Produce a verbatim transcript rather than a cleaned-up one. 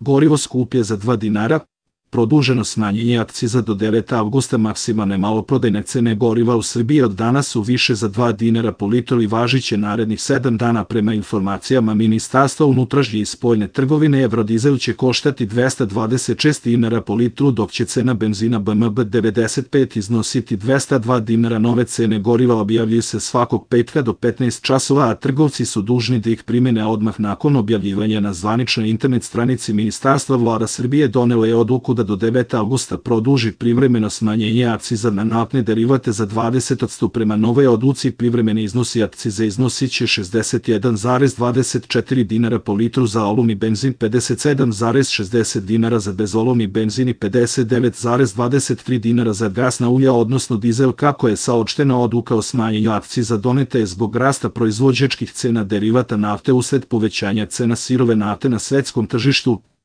Gorivo skuplje za dva dinara. Produženo smanjenje akciza do devetog avgusta. Maksimalne maloprodajne cene goriva u Srbiji od danas su više za dva dinara po litru i važiće narednih sedam dana. Prema informacijama Ministarstva unutrašnje i spoljne trgovine, evrodizel će koštati dvesta dvadeset šest dinara po litru, dok će cena benzina B M B devedeset pet iznositi dvesta dva dinara. Nove cene goriva objavljuju se svakog petka do petnaest časova, a trgovci su dužni da ih primene odmah nakon objavljivanja na zvaničnoj internet stranici Ministarstva. Vlada Srbije donela je odluku da do devetog avgusta produži privremeno smanjenje akciza na naftne derivate za dvadeset posto. Prema novoj odluci privremeni iznosi akcize iznosit će šezdeset jedan zarez dvadeset četiri dinara po litru za oluvni benzin, pedeset sedam zarez šezdeset dinara za bezolovni benzin i pedeset devet zarez dvadeset tri dinara za gasna ulja, odnosno dizel. Kako je saopštena, odluka o smanjenju akciza doneta je zbog rasta proizvođačkih cena derivata nafte usled povećanja cena sirove nafte na svetskom tržištu.